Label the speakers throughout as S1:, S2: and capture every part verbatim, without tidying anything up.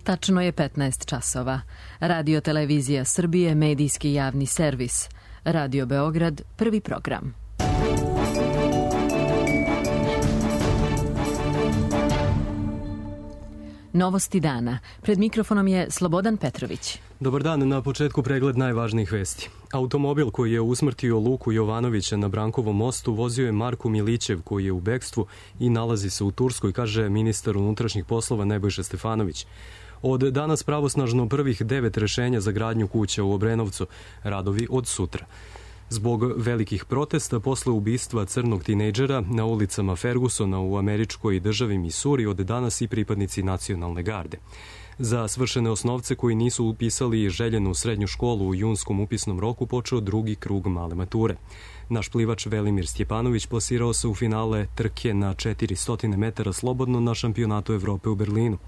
S1: Tačno je petnaest časova. Radio Televizija Srbije, medijski javni servis. Radio Beograd, prvi program. Novosti dana. Pred mikrofonom je Slobodan Petrović.
S2: Dobar dan, na početku pregled najvažnijih vesti. Automobil koji je usmrtio Luku Jovanovića na Brankovom mostu vozio je Marko Milićev koji je u bekstvu i nalazi se u Turskoj, kaže ministar unutrašnjih poslova Nebojša Stefanović. Od danas pravosnažno prvih devet rešenja za gradnju kuća u Obrenovcu, radovi od sutra. Zbog velikih protesta posle ubistva crnog tinejdžera na ulicama Fergusona u američkoj državi Misuri od danas i pripadnici nacionalne garde. Za svršene osnovce koji nisu upisali željenu srednju školu u junskom upisnom roku počeo drugi krug male mature. Naš plivač Velimir Stjepanović plasirao se u finale trke na četiristo metara slobodno na šampionatu Evrope u Berlinu.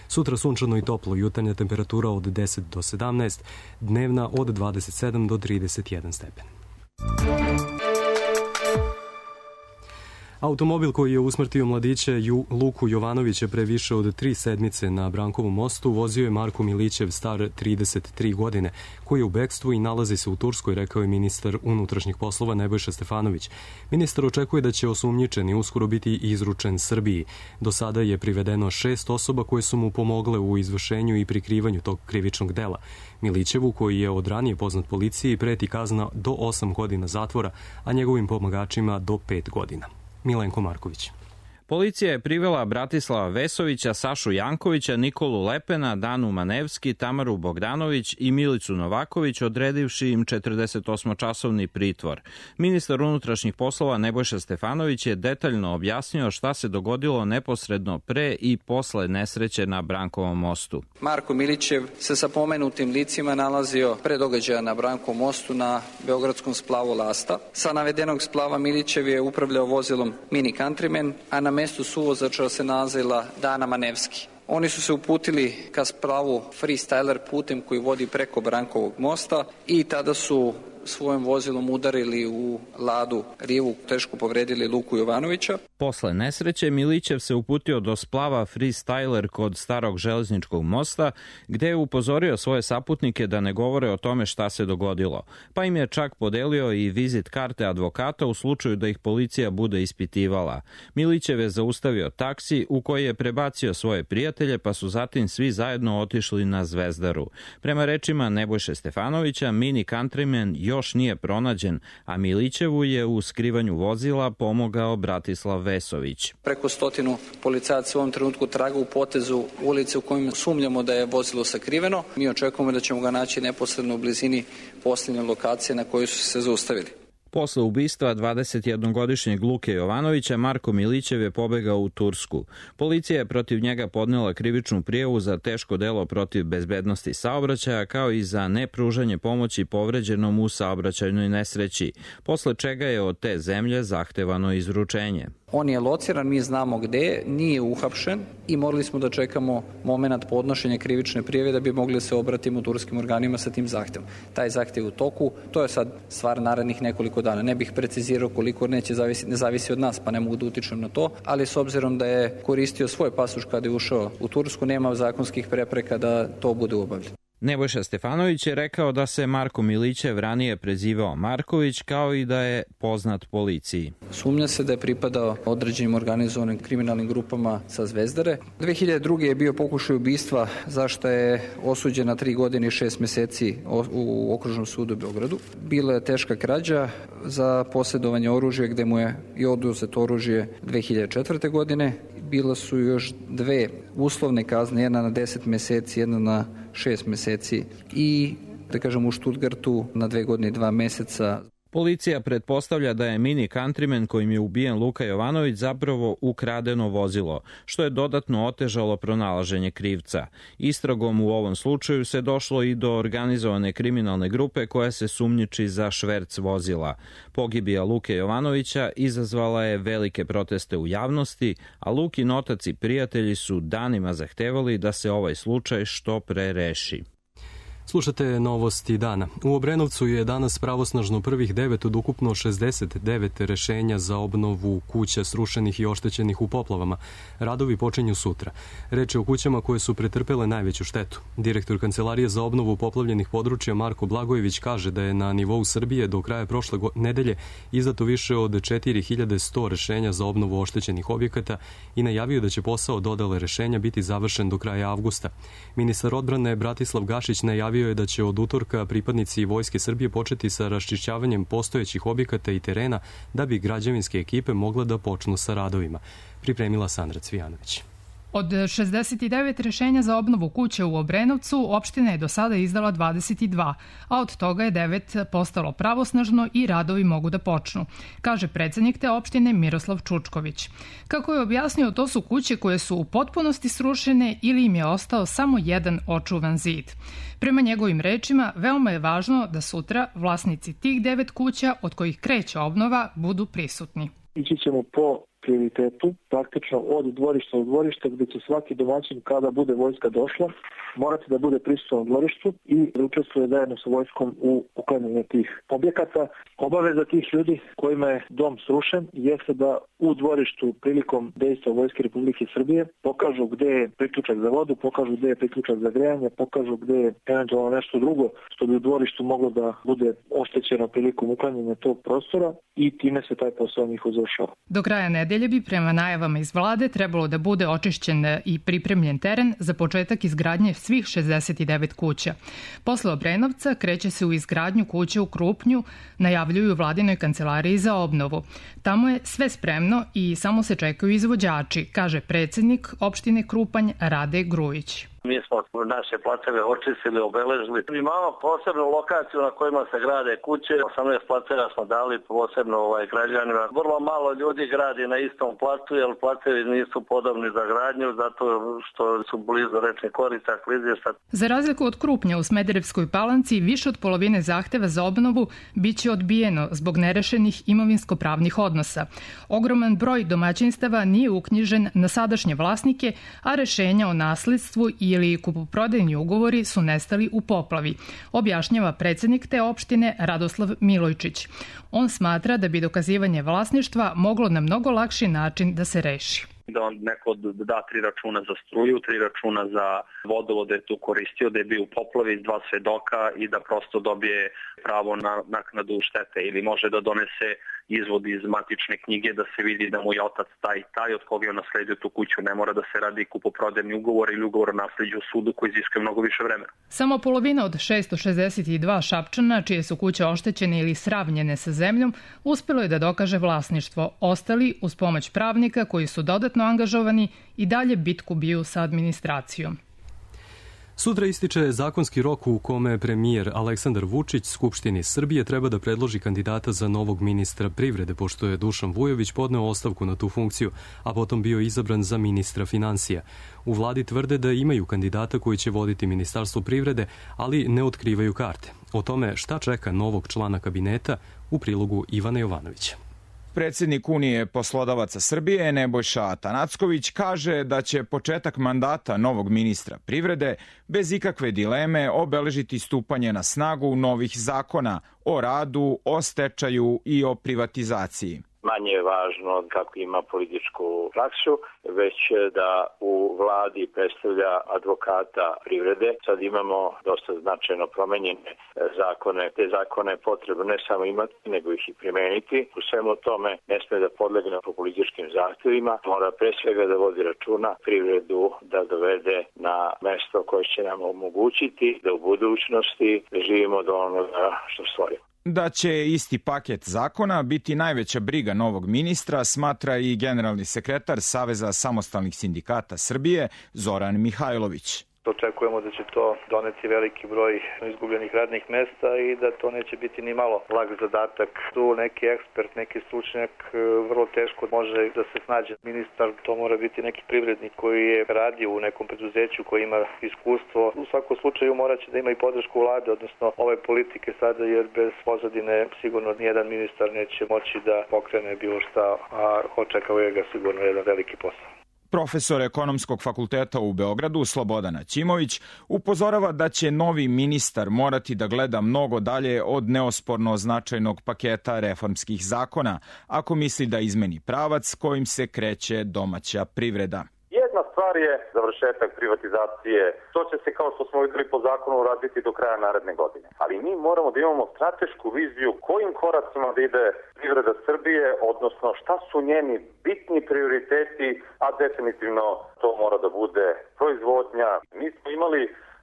S2: Sutra sunčano i toplo, jutarnja temperatura od deset do sedamnaest, dnevna od dvadeset sedam do trideset jedan stepen. Automobil koji je usmrtio mladića Ju, Luku Jovanovića pre više od tri sedmice na Brankovom mostu vozio je Marko Milićev, star trideset tri godine, koji je u bekstvu i nalazi se u Turskoj, rekao je ministar unutrašnjih poslova Nebojša Stefanović. Ministar očekuje da će osumnjičeni uskoro biti izručen Srbiji. Do sada je privedeno šest osoba koje su mu pomogle u izvršenju i prikrivanju tog krivičnog dela. Milićevu, koji je od ranije poznat policiji, preti kazna do osam godina zatvora, a njegovim pomagačima do pet godina. Milenko Marković.
S3: Policija je privela Bratislava Vesovića, Sašu Jankovića, Nikolu Lepena, Danu Manevski, Tamaru Bogdanović i Milicu Novaković, odredivši im četrdesetosmočasovni pritvor. Ministar unutrašnjih poslova Nebojša Stefanović je detaljno objasnio šta se dogodilo neposredno pre i posle nesreće na Brankovom mostu.
S4: Marko Milićev se sa pomenutim licima nalazio pre događaja na Brankovom mostu na beogradskom splavu Lasta. Sa navedenog splava Milićev je upravljao vozilom Mini Countryman, a na mestu suvozača se nalazila Dana Manevski. Oni su se uputili ka splavu Freestyler putem koji vodi preko Brankovog mosta i tada su svojim vozilom udarili u Ladu Rivu, teško povredili Luku Jovanovića.
S3: Posle nesreće Milićev se uputio do splava Freestyler kod starog železničkog mosta, gde je upozorio svoje saputnike da ne govore o tome šta se dogodilo. Pa im je čak podelio i vizit karte advokata u slučaju da ih policija bude ispitivala. Milićev je zaustavio taksi u koji je prebacio svoje prijatelje, pa su zatim svi zajedno otišli na Zvezdaru. Prema rečima Nebojše Stefanovića, Mini Countryman još nije pronađen, a Milićevu je u skrivanju vozila pomogao Bratislav Vesović.
S4: Preko stotinu policajaca u ovom trenutku traga u potezu ulice u kojim sumnjamo da je vozilo sakriveno. Mi očekujemo da ćemo ga naći neposredno u blizini posljednje lokacije na kojoj su se zaustavili.
S3: Posle ubistva dvadesetjednogodišnjeg Luke Jovanovića, Marko Milićev je pobegao u Tursku. Policija je protiv njega podnela krivičnu prijavu za teško delo protiv bezbednosti saobraćaja, kao i za nepružanje pomoći povređenom u saobraćajnoj nesreći, posle čega je od te zemlje zahtevano izručenje.
S4: On je lociran, mi znamo gde, nije uhapšen i morali smo da čekamo moment podnošenja krivične prijave da bi mogli se obratiti turskim organima sa tim zahtevom. Taj zahtev u toku, to je sad stvar narednih nekoliko dana. Ne bih precizirao koliko, neće zavisi, ne zavisi od nas, pa ne mogu da utičem na to, ali s obzirom da je koristio svoj pasoš kada je ušao u Tursku, nema zakonskih prepreka da to bude obavljeno.
S3: Nebojša Stefanović je rekao da se Marko Milićev ranije prezivao Marković, kao i da je poznat policiji.
S4: Sumnja se da je pripadao određenim organizovanim kriminalnim grupama sa Zvezdare. dve hiljade druge. je bio pokušaj ubistva, zašto je osuđen na tri godine i šest meseci u Okružnom sudu u Beogradu. Bila je teška krađa za posjedovanje oružja, gde mu je i oduzeto oružje dve hiljade četvrte. godine. Bila su još dve uslovne kazne, jedna na deset meseci, jedna na šest meseci i, da kažem, u Stuttgartu na dve godine i dva meseca.
S3: Policija pretpostavlja da je Mini Countryman kojim je ubijen Luka Jovanović zapravo ukradeno vozilo, što je dodatno otežalo pronalaženje krivca. Istragom u ovom slučaju se došlo i do organizovane kriminalne grupe koja se sumnjiči za šverc vozila. Pogibija Luke Jovanovića izazvala je velike proteste u javnosti, a Lukin otac i prijatelji su danima zahtevali da se ovaj slučaj što pre reši.
S2: Slušate novosti dana. U Obrenovcu je danas pravosnažno prvih devet od ukupno šezdeset devet rešenja za obnovu kuća srušenih i oštećenih u poplavama. Radovi počinju sutra. Reč je o kućama koje su pretrpele najveću štetu. Direktor Kancelarije za obnovu poplavljenih područja Marko Blagojević kaže da je na nivou Srbije do kraja prošle nedelje izdato više od četiri hiljade sto rešenja za obnovu oštećenih objekata i najavio da će posao dodele rešenja biti završen do kraja avgusta. Ministar odbrane Bratislav Gašić najavio je da će od utorka pripadnici Vojske Srbije početi sa raščišćavanjem postojećih objekata i terena da bi građevinske ekipe mogle da počnu sa radovima. Pripremila Sandra Cvijanović.
S5: Od šezdeset devet rešenja za obnovu kuće u Obrenovcu, opština je do sada izdala dvadeset dva, a od toga je devet postalo pravosnažno i radovi mogu da počnu, kaže predsednik te opštine Miroslav Čučković. Kako je objasnio, to su kuće koje su u potpunosti srušene ili im je ostao samo jedan očuvan zid. Prema njegovim rečima, veoma je važno da sutra vlasnici tih devet kuća od kojih kreće obnova budu prisutni.
S6: Ići ćemo po prioritetu, praktično od dvorišta do dvorišta, gde će svaki domaćin kada bude vojska došla morati da bude prisutan u dvorištu i da učestvuje zajedno sa vojskom u uklanjanju tih objekata. Obaveza tih ljudi kojima je dom srušen jeste da u dvorištu prilikom dejstva Vojske Republike Srbije pokažu gde je priključak za vodu, pokažu gde je priključak za grejanje, pokažu gde je eventualno nešto drugo što bi u dvorištu moglo da bude oštećeno prilikom uklanjanja tog prostora i time se taj posao njihov završava.
S5: Do kraja nedelje bi prema najavama iz vlade trebalo da bude očišćen i pripremljen teren za početak izgradnje svih šezdeset devet kuća. Posle Obrenovca kreće se u izgradnju kuće u Krupnju, najavljuju vladinoj kancelariji za obnovu. Tamo je sve spremno i samo se čekaju izvođači, kaže predsednik opštine Krupanj Rade Grujić.
S7: Mi smo naše placeve očistili, obeležili. Imamo posebnu lokaciju na kojima se grade kuće. osamnaest placeva smo dali posebno ovaj, građanima. Vrlo malo ljudi gradi na istom placu, jer placevi nisu podobni za gradnju, zato što su blizu rečnih korita, klizišta.
S5: Za razliku od Krupnja u Smederevskoj Palanci, više od polovine zahteva za obnovu biće odbijeno zbog nerešenih imovinsko-pravnih odnosa. Ogroman broj domaćinstava nije uknjižen na sadašnje vlasnike, a rešenja o nasledstvu i ili kupoprodajni ugovori su nestali u poplavi, objašnjava predsednik te opštine Radoslav Milojčić. On smatra da bi dokazivanje vlasništva moglo na mnogo lakši način da se reši.
S8: Da on neko da tri računa za struju, tri računa za vodovod da je tu koristio, da je bio u poplavi, dva svedoka i da prosto dobije pravo na naknadu štete ili može da donese izvod iz matične knjige da se vidi da mu je otac taj i taj od koga je nasledio tu kuću. Ne mora da se radi kupoprodajni ugovor ili ugovor o nasleđu u sudu koji iziskuje mnogo više vremena.
S5: Samo polovina od šessto šezdeset dva Šapčana, čije su kuće oštećene ili sravnjene sa zemljom, uspelo je da dokaže vlasništvo. Ostali, uz pomoć pravnika koji su dodatno angažovani, i dalje bitku biju sa administracijom.
S2: Sutra ističe zakonski rok u kome premijer Aleksandar Vučić Skupštini Srbije treba da predloži kandidata za novog ministra privrede, pošto je Dušan Vujović podneo ostavku na tu funkciju, a potom bio izabran za ministra finansija. U vladi tvrde da imaju kandidata koji će voditi Ministarstvo privrede, ali ne otkrivaju karte. O tome šta čeka novog člana kabineta u prilogu Ivana Jovanovića.
S9: Predsednik Unije poslodavaca Srbije Nebojša Atanacković kaže da će početak mandata novog ministra privrede bez ikakve dileme obeležiti stupanje na snagu novih zakona o radu, o stečaju i o privatizaciji.
S10: Manje je važno kako ima političku praksu, već da u vladi predstavlja advokata privrede. Sad imamo dosta značajno promenjene zakone. Te zakone je potrebno ne samo imati, nego ih i primeniti. U svemu tome ne sme da podlegne političkim zahtevima. Mora pre svega da vodi računa privredu da dovede na mesto koje će nam omogućiti da u budućnosti živimo do onoga što stvorimo.
S9: Da će isti paket zakona biti najveća briga novog ministra, smatra i generalni sekretar Saveza samostalnih sindikata Srbije Zoran Mihajlović.
S11: Očekujemo da će to doneti veliki broj izgubljenih radnih mesta i da to neće biti ni malo lag zadatak. Tu neki ekspert, neki stručnjak vrlo teško može da se snađe. Ministar to mora biti neki privrednik koji je radio u nekom preduzeću, koji ima iskustvo. U svakom slučaju moraće da ima i podršku vlade, odnosno ove politike sada, jer bez pozadine sigurno nijedan ministar neće moći da pokrene bilo šta, a očekuje ga sigurno jedan veliki posao.
S9: Profesor Ekonomskog fakulteta u Beogradu Slobodan Ćimović upozorava da će novi ministar morati da gleda mnogo dalje od neosporno značajnog paketa reformskih zakona, ako misli da izmeni pravac kojim se kreće domaća privreda.
S12: Jedna stvar je završetak privatizacije. To će se, kao što smo videli po zakonu, uraditi do kraja naredne godine. Ali mi moramo da imamo stratešku viziju kojim koracima da ide privreda Srbije, odnosno šta su njeni bitni prioriteti, a definitivno to mora da bude proizvodnja. Mi smo imali,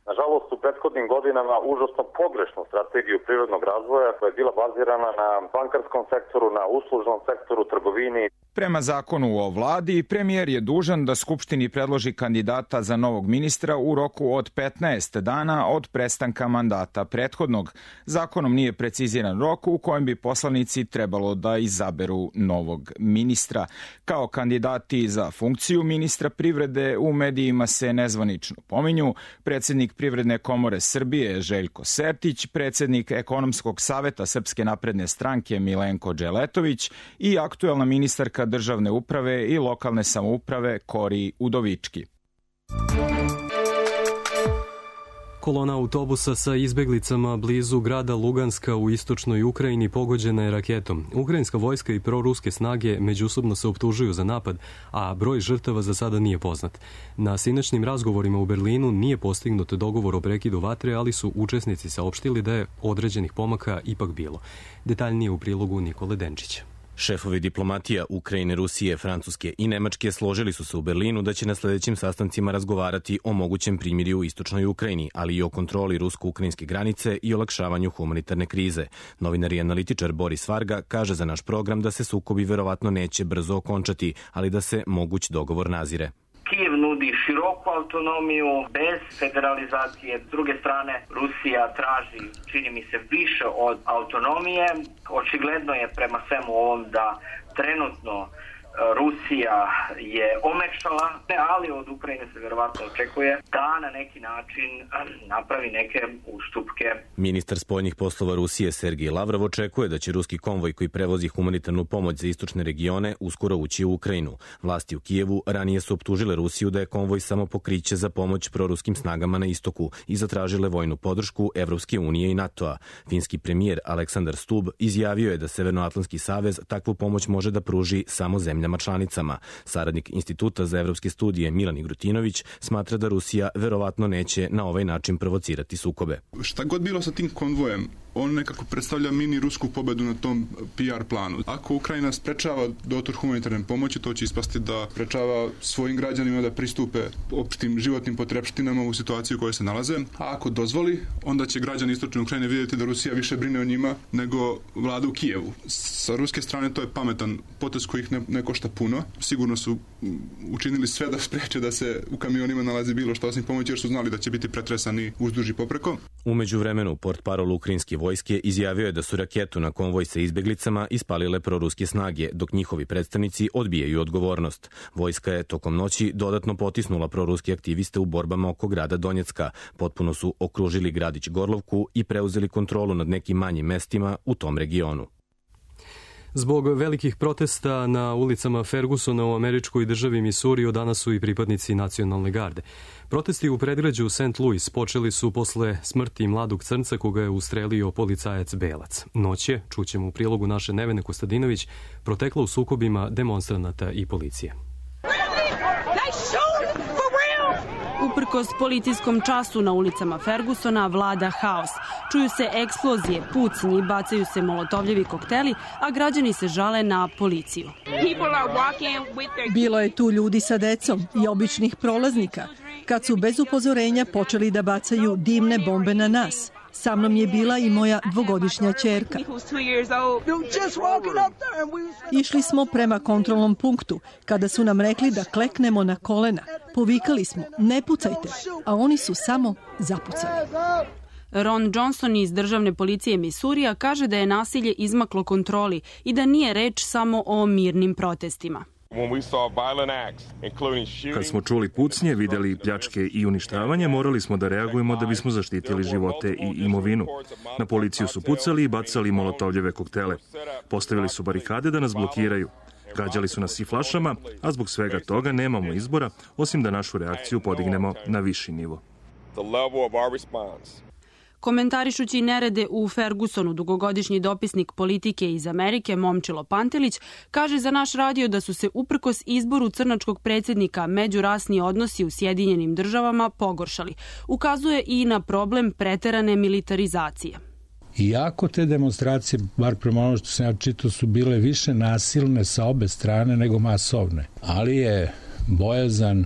S12: nažalost, u prethodnim godinama užasno pogrešnu strategiju privrednog razvoja koja je bila bazirana na bankarskom sektoru, na uslužnom sektoru, trgovini.
S9: Prema zakonu o vladi, premijer je dužan da Skupštini predloži kandidata za novog ministra u roku od petnaest dana od prestanka mandata prethodnog. Zakonom nije preciziran rok u kojem bi poslanici trebalo da izaberu novog ministra. Kao kandidati za funkciju ministra privrede u medijima se nezvanično pominju predsjednik Privredne komore Srbije Željko Sertić, predsjednik Ekonomskog saveta Srpske napredne stranke Milenko Dželetović i aktuelna ministarka državne uprave i lokalne samouprave Kori Udovički.
S2: Kolona autobusa sa izbeglicama blizu grada Luganska u istočnoj Ukrajini pogođena je raketom. Ukrajinska vojska i proruske snage međusobno se optužuju za napad, a broj žrtava za sada nije poznat. Na sinoćnim razgovorima u Berlinu nije postignut dogovor o prekidu vatre, ali su učesnici saopštili da je određenih pomaka ipak bilo. Detaljnije u prilogu Nikole Denčića.
S13: Šefovi diplomatija Ukrajine, Rusije, Francuske i Nemačke složili su se u Berlinu da će na sledećim sastancima razgovarati o mogućem primirju u istočnoj Ukrajini, ali i o kontroli rusko-ukrajinske granice i olakšavanju humanitarne krize. Novinar i analitičar Boris Varga kaže za naš program da se sukobi verovatno neće brzo okončati, ali da se moguć dogovor nazire.
S14: Kijev nudi široku autonomiju bez federalizacije. S druge strane, Rusija traži, čini mi se, više od autonomije. Očigledno je prema svemu ovom da trenutno Rusija je omekšala, ali od Ukrajine se verovatno očekuje da na neki način napravi neke ustupke.
S13: Ministar spoljnih poslova Rusije Sergij Lavrov očekuje da će ruski konvoj koji prevozi humanitarnu pomoć za istočne regione uskoro ući u Ukrajinu. Vlasti u Kijevu ranije su optužile Rusiju da je konvoj samo pokriće za pomoć proruskim snagama na istoku i zatražile vojnu podršku Evropske unije i NATO-a. Finski premijer Aleksandar Stub izjavio je da Severnoatlantski savez takvu pomoć može da pruži samo zemljama članicama. Saradnik Instituta za evropske studije Milan Igrutinović smatra da Rusija verovatno neće na ovaj način provocirati sukobe.
S15: Šta god bilo sa tim konvojem, on nekako predstavlja mini rusku pobedu na tom P R planu. Ako Ukrajina sprečava dotor humanitarne pomoći, to će ispasti da sprečava svojim građanima da pristupe opštim životnim potrepštinama u situaciji u kojoj se nalaze. A ako dozvoli, onda će građani istočne Ukrajine vidjeti da Rusija više brine o njima nego vlada u Kijevu. Sa ruske strane to je pametan potez koji ih ne, ne košta puno. Sigurno su učinili sve da spreče da se u kamionima nalazi bilo što osim pomoći, jer su znali da će biti pretresani uzduž i popreko.
S13: Umeđu vremenu, portparol ukrajinske vojske izjavio je da su raketu na konvoj sa izbeglicama ispalile proruske snage, dok njihovi predstavnici odbijaju odgovornost. Vojska je tokom noći dodatno potisnula proruske aktiviste u borbama oko grada Donjecka. Potpuno su okružili gradić Gorlovku i preuzeli kontrolu nad nekim manjim mestima u tom regionu.
S2: Zbog velikih protesta na ulicama Fergusona u američkoj državi Missouri od danas su i pripadnici nacionalne garde. Protesti u predgrađu Saint Louis počeli su posle smrti mladog crnca koga je ustrelio policajac Belac. Noć je, čućemo u prilogu naše Nevene Kostadinović, protekla u sukobima demonstranata i policije.
S16: Uprkos policijskom času na ulicama Fergusona vlada haos. Čuju se eksplozije, pucnji, bacaju se molotovljevi kokteli, a građani se žale na policiju.
S17: Bilo je tu ljudi sa decom i običnih prolaznika, kad su bez upozorenja počeli da bacaju dimne bombe na nas. Sa mnom je bila i moja dvogodišnja ćerka. Išli smo prema kontrolnom punktu, kada su nam rekli da kleknemo na kolena. Povikali smo, ne pucajte, a oni su samo zapucali.
S16: Ron Johnson iz državne policije Misurija kaže da je nasilje izmaklo kontroli i da nije reč samo o mirnim protestima.
S18: Kad smo čuli pucnje, videli pljačke i uništavanje, morali smo da reagujemo da bismo zaštitili živote i imovinu. Na policiju su pucali i bacali molotovljeve koktele. Postavili su barikade da nas blokiraju. Gađali su nas i flašama, a zbog svega toga nemamo izbora, osim da našu reakciju podignemo na viši nivo.
S16: Komentarišući nerede u Fergusonu, dugogodišnji dopisnik politike iz Amerike Momčilo Pantelić kaže za naš radio da su se uprkos izboru crnačkog predsjednika međurasni odnosi u Sjedinjenim državama pogoršali. Ukazuje i na problem preterane militarizacije.
S19: Iako te demonstracije, bar prema ono što sam ja čitao, su bile više nasilne sa obe strane nego masovne, ali je bojazan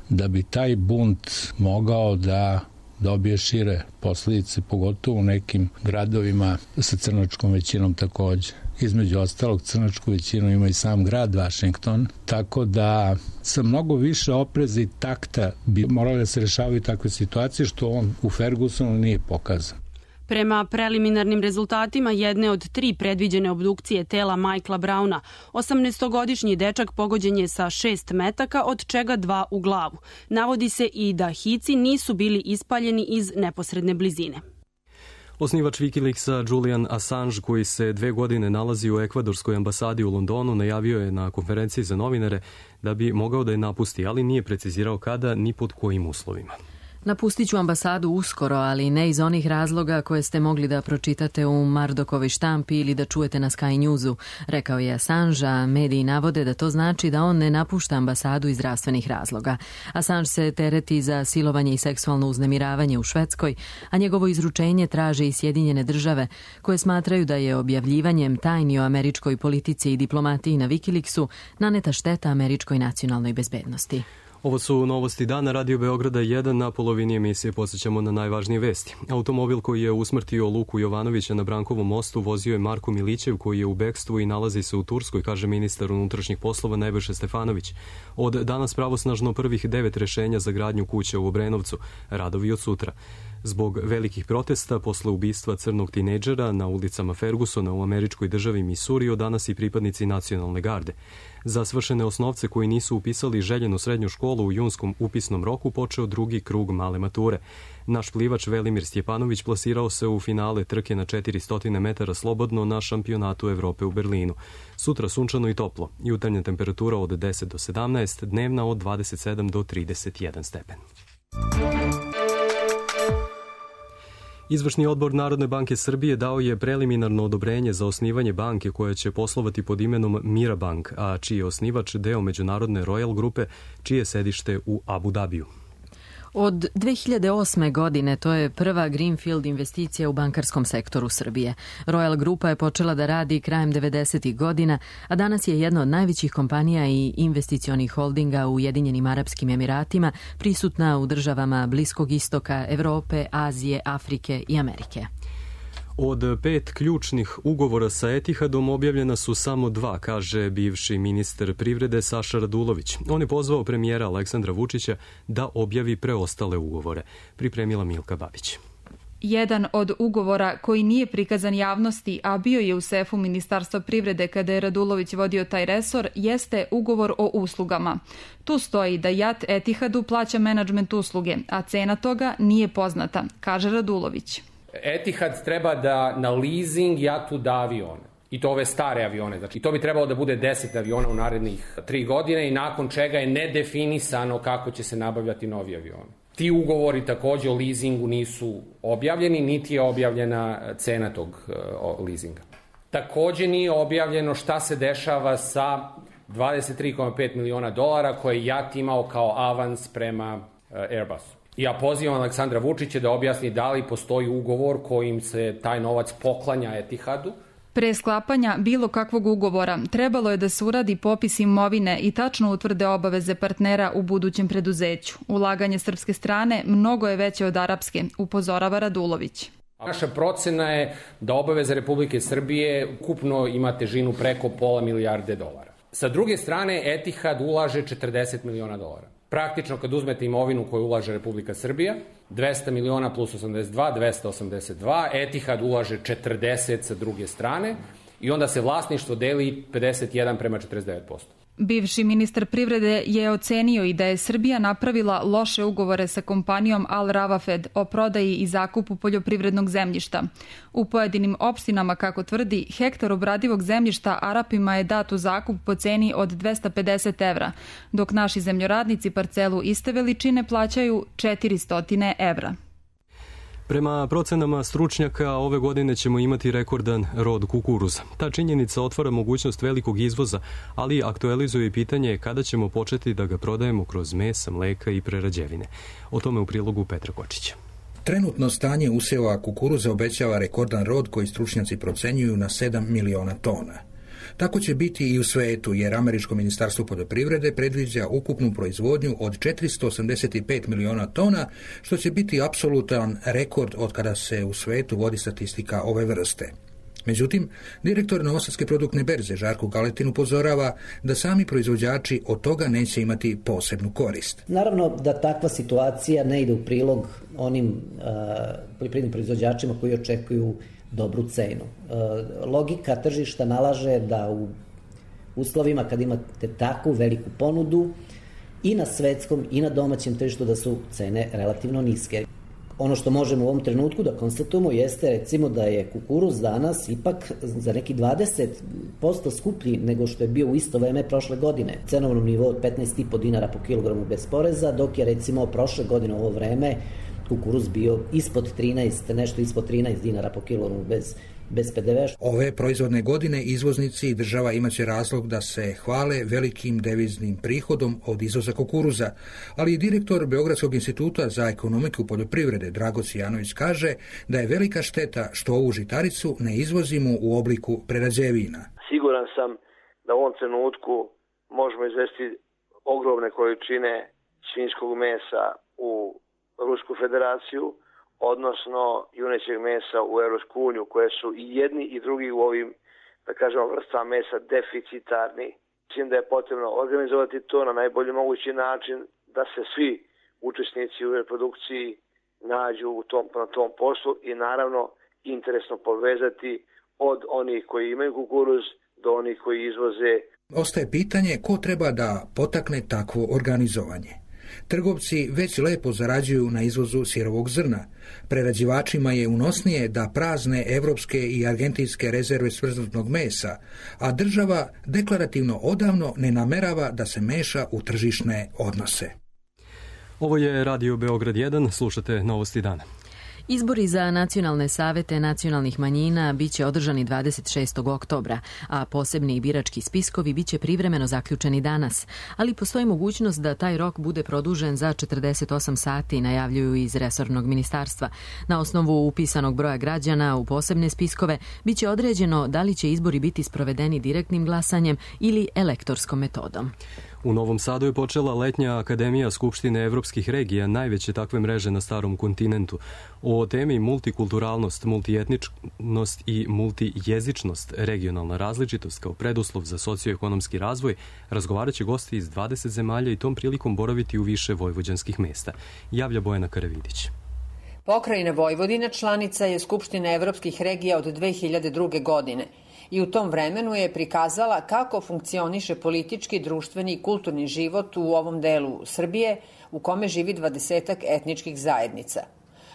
S19: da bi taj bunt mogao da dobije šire posljedice, pogotovo u nekim gradovima sa crnačkom većinom takođe. Između ostalog, crnačku većinu ima i sam grad Vašington, tako da sa mnogo više opreza i takta bi morali da se rešavaju takve situacije, što on u Fergusonu nije pokazan.
S16: Prema preliminarnim rezultatima jedne od tri predviđene obdukcije tela Michaela Browna, osamnaestogodišnji dečak pogođen je sa šest metaka, od čega dva u glavu. Navodi se i da hici nisu bili ispaljeni iz neposredne blizine.
S2: Osnivač Wikileaksa Julian Assange, koji se dve godine nalazi u ekvadorskoj ambasadi u Londonu, najavio je na konferenciji za novinare da bi mogao da je napusti, ali nije precizirao kada ni pod kojim uslovima.
S1: Napustit ću ambasadu uskoro, ali ne iz onih razloga koje ste mogli da pročitate u Mardokovoj štampi ili da čujete na Sky Newsu, rekao je Assange, a mediji navode da to znači da on ne napušta ambasadu iz zdravstvenih razloga. Assange se tereti za silovanje i seksualno uznemiravanje u Švedskoj, a njegovo izručenje traže i Sjedinjene države, koje smatraju da je objavljivanjem tajni o američkoj politici i diplomatiji na Wikileaksu naneta šteta američkoj nacionalnoj bezbednosti.
S2: Ovo su novosti dana Radio Beograda jedan. Na polovini emisije podsjećamo na najvažnije vesti. Automobil koji je usmrtio Luku Jovanovića na Brankovom mostu vozio je Marko Milićev, koji je u bekstvu i nalazi se u Turskoj, kaže ministar unutrašnjih poslova Nebojša Stefanović. Od danas pravosnažno prvih devet rešenja za gradnju kuće u Obrenovcu, radovi od sutra. Zbog velikih protesta posle ubistva crnog tinejdžera na ulicama Fergusona u američkoj državi Missouri od danas i pripadnici nacionalne garde. Za svršene osnovce koji nisu upisali željenu srednju školu u junskom upisnom roku počeo drugi krug male mature. Naš plivač Velimir Stjepanović plasirao se u finale trke na četiristo metara slobodno na šampionatu Evrope u Berlinu. Sutra sunčano i toplo, jutarnja temperatura od deset do sedamnaest, dnevna od dvadeset sedam do trideset jedan stepen. Izvršni odbor Narodne banke Srbije dao je preliminarno odobrenje za osnivanje banke koja će poslovati pod imenom Mirabank, a čiji je osnivač deo međunarodne Royal grupe, čije je sedište u Abu Dabiju.
S1: Od dve hiljade osme. godine to je prva greenfield investicija u bankarskom sektoru Srbije. Royal Grupa je počela da radi krajem devedesetih godina, a danas je jedna od najvećih kompanija i investicionih holdinga u Ujedinjenim Arapskim Emiratima, prisutna u državama Bliskog istoka, Evrope, Azije, Afrike i Amerike.
S2: Od pet ključnih ugovora sa Etihadom objavljena su samo dva, kaže bivši ministar privrede Saša Radulović. On je pozvao premijera Aleksandra Vučića da objavi preostale ugovore. Pripremila Milka Babić.
S20: Jedan od ugovora koji nije prikazan javnosti, a bio je u sefu Ministarstva privrede kada je Radulović vodio taj resor, jeste ugovor o uslugama. Tu stoji da JAT Etihadu plaća menadžment usluge, a cena toga nije poznata, kaže Radulović.
S21: Etihad treba da na leasing jatu da avione. I to ove stare avione. Znači, to bi trebalo da bude deset aviona u narednih tri godine i nakon čega je nedefinisano kako će se nabavljati novi avioni. Ti ugovori takođe o leasingu nisu objavljeni, niti je objavljena cena tog uh, leasinga. Takođe nije objavljeno šta se dešava sa dvadeset tri zarez pet miliona dolara koje JAT imao kao avans prema uh, Airbusu. Ja pozivam Aleksandra Vučića da objasni da li postoji ugovor kojim se taj novac poklanja Etihadu.
S20: Pre sklapanja bilo kakvog ugovora trebalo je da se uradi popis imovine i tačno utvrde obaveze partnera u budućem preduzeću. Ulaganje srpske strane mnogo je veće od arapske, upozorava Radulović.
S21: Naša procena je da obaveza Republike Srbije ukupno ima težinu preko pola milijarde dolara. Sa druge strane, Etihad ulaže četrdeset miliona dolara. Praktično, kad uzmete imovinu koju ulaže Republika Srbija, dvesta miliona plus osamdeset dva, dvesta osamdeset dva, Etihad ulaže četrdeset sa druge strane i onda se vlasništvo deli pedeset jedan prema četrdeset devet posto.
S20: Bivši ministar privrede je ocenio i da je Srbija napravila loše ugovore sa kompanijom Al Ravafed o prodaji i zakupu poljoprivrednog zemljišta. U pojedinim opštinama, kako tvrdi, hektar obradivog zemljišta Arapima je dat u zakup po ceni od dvesta pedeset evra, dok naši zemljoradnici parcelu iste veličine plaćaju četiristo evra.
S2: Prema procenama stručnjaka, ove godine ćemo imati rekordan rod kukuruza. Ta činjenica otvara mogućnost velikog izvoza, ali aktualizuje i pitanje kada ćemo početi da ga prodajemo kroz mesa, mleka i prerađevine. O tome u prilogu Petra Kočića.
S4: Trenutno stanje usjeva kukuruza obećava rekordan rod koji stručnjaci procenjuju na sedam miliona tona. Tako će biti i u svetu, jer Američko ministarstvo poljoprivrede predviđa ukupnu proizvodnju od četiristo osamdeset pet miliona tona, što će biti apsolutan rekord od kada se u svetu vodi statistika ove vrste. Međutim, direktor Novosadske produktne berze Žarko Galetin upozorava da sami proizvođači od toga neće imati posebnu korist.
S22: Naravno da takva situacija ne ide u prilog onim uh, poljoprivrednim proizvođačima koji očekuju dobru cenu. Logika tržišta nalaže da u uslovima kad imate takvu veliku ponudu i na svetskom i na domaćem tržištu da su cene relativno niske. Ono što možemo u ovom trenutku da konstatujemo jeste recimo da je kukuruz danas ipak za neki dvadeset posto skuplji nego što je bio u isto vreme prošle godine. Cenovnom nivou od petnaest i po dinara po kilogramu bez poreza, dok je recimo prošle godine u ovo vreme kukuruz bio ispod trinaest, nešto ispod trinaest dinara po kilogramu bez, bez pe de ve.
S4: Ove proizvodne godine izvoznici i država imaće razlog da se hvale velikim deviznim prihodom od izvoza kukuruza, ali i direktor Beogradskog instituta za ekonomiku poljoprivrede Dragoc Janović kaže da je velika šteta što ovu žitaricu ne izvozimo u obliku prerađevina.
S23: Siguran sam da u ovom trenutku možemo izvesti ogromne količine svinjskog mesa u Rusku federaciju, odnosno junećeg mesa u Europsku uniju, koje su i jedni i drugi u ovim, da kažemo, vrstama mesa deficitarni. Mislim da je potrebno organizovati to na najbolji mogući način, da se svi učesnici u reprodukciji nađu u tom, na tom poslu i naravno interesno povezati od onih koji imaju kukuruz do onih koji izvoze.
S4: Ostaje pitanje ko treba da potakne takvo organizovanje. Trgovci već lepo zarađuju na izvozu sirovog zrna. Prerađivačima je unosnije da prazne evropske i argentinske rezerve smrznutog mesa, a država deklarativno odavno ne namerava da se meša u tržišne odnose.
S2: Ovo je Radio Beograd jedan, slušate Novosti dana.
S1: Izbori za nacionalne savete nacionalnih manjina biće održani dvadeset šestog oktobra, a posebni birački spiskovi biće privremeno zaključeni danas, ali postoji mogućnost da taj rok bude produžen za četrdeset osam sati, najavljuju iz resornog ministarstva. Na osnovu upisanog broja građana u posebne spiskove biće određeno da li će izbori biti sprovedeni direktnim glasanjem ili elektorskom metodom.
S2: U Novom Sadu je počela letnja akademija Skupštine evropskih regija, najveće takve mreže na starom kontinentu. O temi multikulturalnost, multietničnost i multijezičnost, regionalna različitost kao preduslov za socioekonomski razvoj, razgovarat će gosti iz dvadeset zemalja i tom prilikom boraviti u više vojvođanskih mesta. Javlja Bojana Karavidić.
S24: Pokrajina Vojvodina članica je Skupštine evropskih regija od dve hiljade druge. godine i u tom vremenu je prikazala kako funkcioniše politički, društveni i kulturni život u ovom delu Srbije u kome živi dvadesetak etničkih zajednica.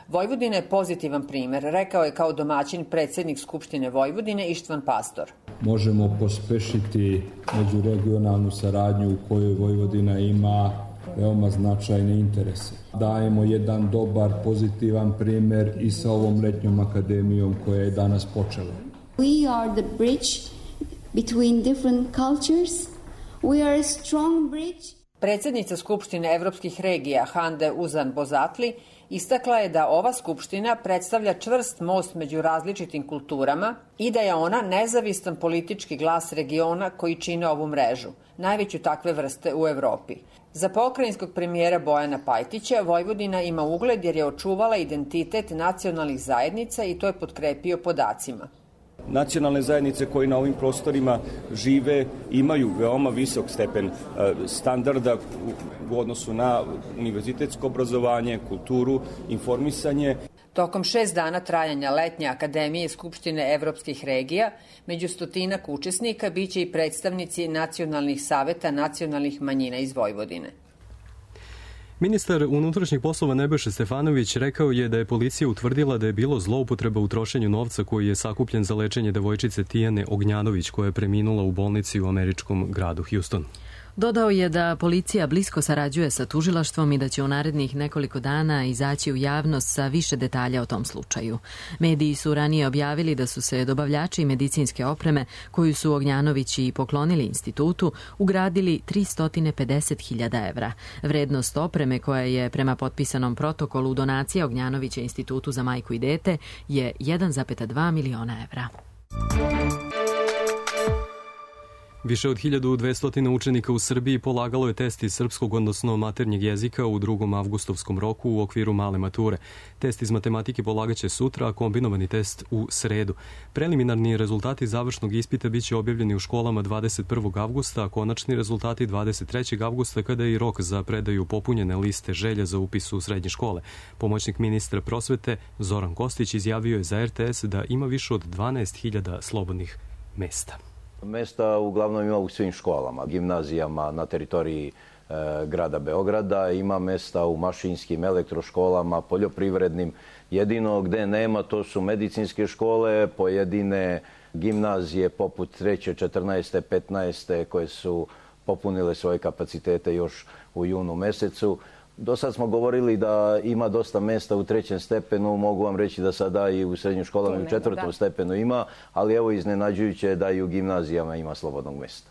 S24: Vojvodina je pozitivan primer, rekao je kao domaćin predsjednik Skupštine Vojvodine Ištvan Pastor.
S25: Možemo pospešiti međuregionalnu saradnju u kojoj Vojvodina ima veoma značajne interese. Dajemo jedan dobar, pozitivan primer i sa ovom letnjom akademijom koja je danas počela.
S26: We are the bridge between different cultures. We are a strong bridge.
S24: Predsjednica Skupštine evropskih regija Hande Uzan Bozatli istakla je da ova skupština predstavlja čvrst most među različitim kulturama i da je ona nezavistan politički glas regiona koji čine ovu mrežu, najveću takve vrste u Evropi. Za pokrajinskog premijera Bojana Pajtića Vojvodina ima ugled jer je očuvala identitet nacionalnih zajednica i to je potkrepio podacima.
S27: Nacionalne zajednice koje na ovim prostorima žive imaju veoma visok stepen standarda u odnosu na univerzitetsko obrazovanje, kulturu, informisanje.
S24: Tokom šest dana trajanja letnje akademije Skupštine evropskih regija, među stotinak učesnika biće i predstavnici nacionalnih saveta nacionalnih manjina iz Vojvodine.
S2: Ministar unutrašnjih poslova Nebojša Stefanović rekao je da je policija utvrdila da je bilo zloupotreba u trošenju novca koji je sakupljen za lečenje devojčice Tijane Ognjanović koja je preminula u bolnici u američkom gradu Houston.
S1: Dodao je da policija blisko sarađuje sa tužilaštvom i da će u narednih nekoliko dana izaći u javnost sa više detalja o tom slučaju. Mediji su ranije objavili da su se dobavljači medicinske opreme, koju su Ognjanovići poklonili institutu, ugradili tristo pedeset hiljada evra. Vrednost opreme koja je prema potpisanom protokolu donacija Ognjanovića institutu za majku i dete je jedan zarez dva miliona evra.
S2: Više od hiljadu dvesta učenika u Srbiji polagalo je test iz srpskog, odnosno maternjeg jezika u drugom avgustovskom roku u okviru male mature. Test iz matematike polagaće sutra, a kombinovani test u sredu. Preliminarni rezultati završnog ispita biće objavljeni u školama dvadeset prvog avgusta, a konačni rezultati dvadeset trećeg avgusta, kada je i rok za predaju popunjene liste želja za upis u srednje škole. Pomoćnik ministra prosvete Zoran Kostić izjavio je za er te es da ima više od dvanaest hiljada slobodnih mesta.
S3: Mesta uglavnom ima u svim školama, gimnazijama na teritoriji e, grada Beograda, ima mesta u mašinskim, elektroškolama, poljoprivrednim. Jedino gde nema to su medicinske škole, pojedine gimnazije poput treće, četrnaeste, petnaeste koje su popunile svoje kapacitete još u junu mesecu. Do sad smo govorili da ima dosta mesta u trećem stepenu, mogu vam reći da sada i u srednjim školama i u četvrtom stepenu ima, ali evo iznenađujuće da i u gimnazijama ima slobodnog mesta.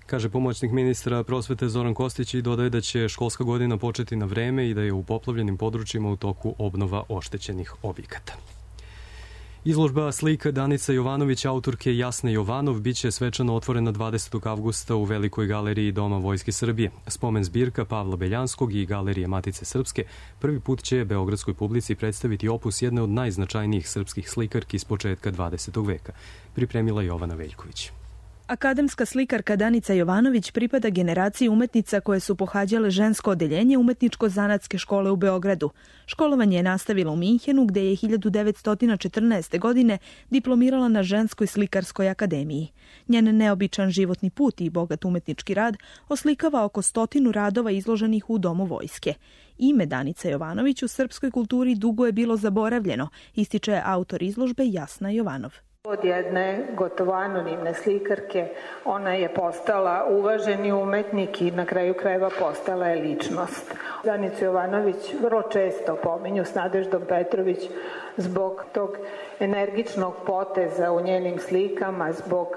S2: Kaže pomoćnik ministra prosvete Zoran Kostić i dodaje da će školska godina početi na vreme i da je u poplavljenim područjima u toku obnova oštećenih objekata. Izložba slika Danice Jovanović, autorke Jasne Jovanov, biće svečano otvorena dvadesetog avgusta u Velikoj galeriji Doma Vojske Srbije. Spomen zbirka Pavla Beljanskog i Galerije Matice Srpske prvi put će beogradskoj publici predstaviti opus jedne od najznačajnijih srpskih slikarki s početka dvadesetog veka. Pripremila Jovana Veljković.
S5: Akademska slikarka Danica Jovanović pripada generaciji umetnica koje su pohađale žensko odeljenje umetničko-zanatske škole u Beogradu. Školovanje je nastavila u Minhenu, gde je hiljadu devetsto četrnaeste. godine diplomirala na Ženskoj slikarskoj akademiji. Njen neobičan životni put i bogat umetnički rad oslikava oko stotinu radova izloženih u Domu Vojske. Ime Danice Jovanović u srpskoj kulturi dugo je bilo zaboravljeno, ističe autor izložbe Jasna Jovanov.
S6: Od jedne gotovo anonimne slikarke ona je postala uvaženi umetnik i na kraju krajeva postala je ličnost. Danicu Jovanović vrlo često pominju s Nadeždom Petrović zbog tog energičnog poteza u njenim slikama, zbog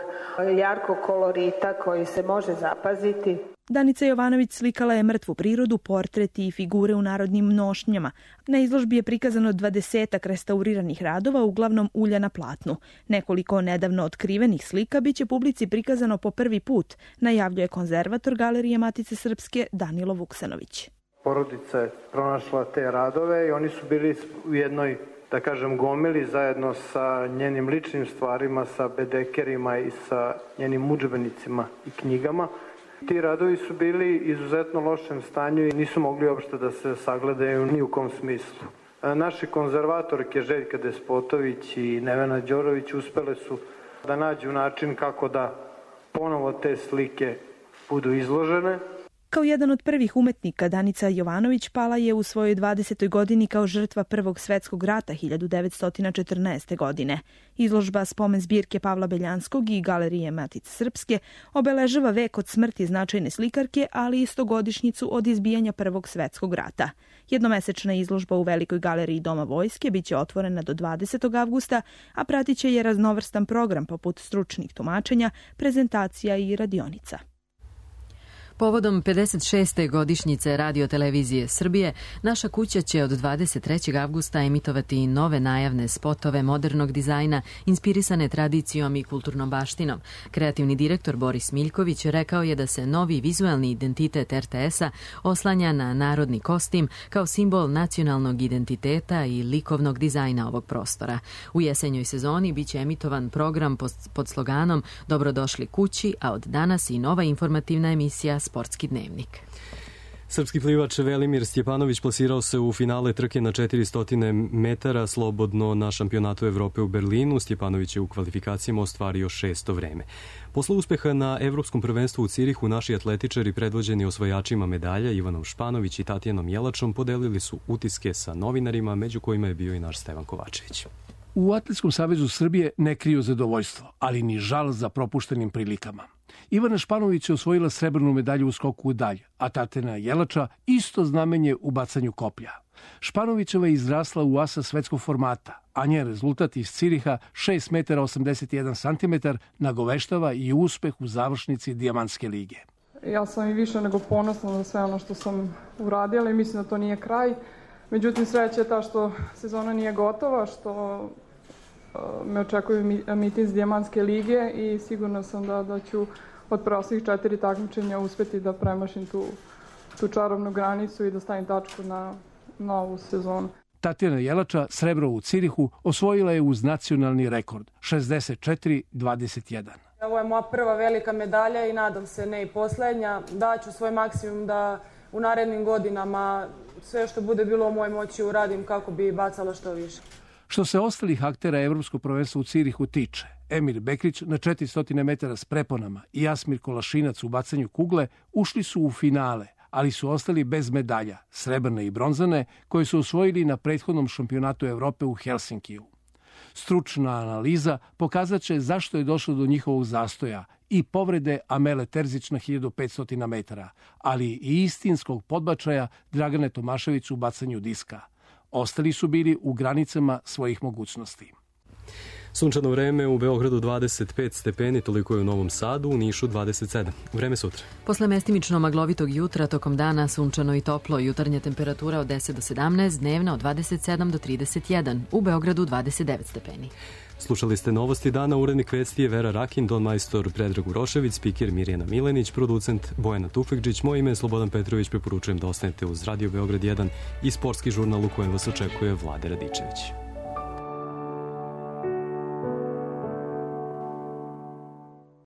S6: jarkog kolorita koji se može zapaziti.
S5: Danica Jovanović slikala je mrtvu prirodu, portreti i figure u narodnim nošnjama. Na izložbi je prikazano dvadesetak restauriranih radova, uglavnom ulja na platnu. Nekoliko nedavno otkrivenih slika biće publici prikazano po prvi put, najavljuje konzervator Galerije Matice Srpske Danilo Vuksanović.
S7: Porodica je pronašla te radove i oni su bili u jednoj, da kažem, gomili zajedno sa njenim ličnim stvarima, sa bedekerima i sa njenim udžbenicima i knjigama. Ti radovi su bili izuzetno lošem stanju i nisu mogli uopšte da se sagledaju ni u kom smislu. Naši konzervatorke Željka Despotović i Nevena Đorović uspele su da nađu način kako da ponovo te slike budu izložene.
S5: Kao jedan od prvih umetnika, Danica Jovanović pala je u svojoj dvadesetoj godini kao žrtva Prvog svetskog rata hiljadu devetsto četrnaeste. godine. Izložba Spomen zbirke Pavla Beljanskog i Galerije Matice Srpske obeležava vek od smrti značajne slikarke, ali i stogodišnjicu od izbijanja Prvog svetskog rata. Jednomesečna izložba u Velikoj galeriji Doma Vojske biće otvorena do dvadesetog avgusta, a pratit će je raznovrstan program poput stručnih tumačenja, prezentacija i radionica.
S1: Povodom pedeset šeste godišnjice Radio-televizije Srbije, naša kuća će od dvadeset trećeg avgusta emitovati nove najavne spotove modernog dizajna inspirisane tradicijom i kulturnom baštinom. Kreativni direktor Boris Miljković rekao je da se novi vizuelni identitet er te es-a oslanja na narodni kostim kao simbol nacionalnog identiteta i likovnog dizajna ovog prostora. U jesenjoj sezoni biće emitovan program pod sloganom Dobrodošli kući, a od danas i nova informativna emisija Sportski dnevnik.
S2: Srpski plivač Velimir Stjepanović plasirao se u finale trke na četiristo metara slobodno na šampionatu Evrope u Berlinu. Stjepanović je u kvalifikacijama ostvario šesto vreme. Posle uspeha na Evropskom prvenstvu u Cirihu, naši atletičari predvođeni osvajačima medalja Ivanom Španović i Tatjanom Jelačom podelili su utiske sa novinarima, među kojima je bio i naš Stevan Kovačević.
S8: U Atletskom savezu Srbije ne kriju zadovoljstvo, ali ni žal za propuštenim prilikama. Ivana Španović je osvojila srebrnu medalju u skoku u dalj, a Tatjana Jelača isto znamenje u bacanju koplja. Španovićeva je izrasla u asa svetskog formata, a njen rezultat iz Ciriha šest metara osamdeset jedan centimetar nagoveštava i uspeh u završnici Dijamantske lige.
S9: Ja sam i više nego ponosna za sve ono što sam uradila i mislim da to nije kraj. Međutim, sreća je ta što sezona nije gotova, što me očekuju mitinz Dijamantske lige i sigurna sam da, da ću od preostalih četiri takmičenja uspeti da premašim tu, tu čarobnu granicu i da stavim tačku na novu sezonu.
S8: Tatjana Jelača srebro u Cirihu osvojila je uz nacionalni rekord šezdeset četiri dvadeset jedan.
S10: Ovo je moja prva velika medalja i nadam se ne i poslednja. Daću svoj maksimum da u narednim godinama sve što bude bilo u mojoj moći uradim kako bi bacala što više.
S8: Što se ostalih aktera Evropskog prvenstva u Cirihu tiče, Emir Bekrić na četiristo metara s preponama i Jasmir Kolašinac u bacanju kugle ušli su u finale, ali su ostali bez medalja, srebrne i bronzane, koje su osvojili na prethodnom šampionatu Evrope u Helsinkiju. Stručna analiza pokazat će zašto je došlo do njihovog zastoja i povrede Amele Terzić na hiljadu petsto metara, ali i istinskog podbačaja Dragane Tomašević u bacanju diska. Ostali su bili u granicama svojih mogućnosti.
S2: Sunčano vreme u Beogradu dvadeset pet stepeni, toliko je u Novom Sadu, u Nišu dvadeset sedam. Vreme sutra.
S1: Posle mestimično maglovitog jutra, tokom dana sunčano i toplo, jutarnja temperatura od deset do sedamnaest, dnevna od dvadeset sedam do trideset jedan, u Beogradu dvadeset devet stepeni.
S2: Slušali ste novosti dana, urednik vesti je Vera Rakin, don majstor Predrag Urošević, spiker Mirjana Milenić, producent Bojana Tufekđić, moje ime je Slobodan Petrović, preporučujem da ostanete uz Radio Beograd jedan i sportski žurnal u kojem vas očekuje Vlade Radičević.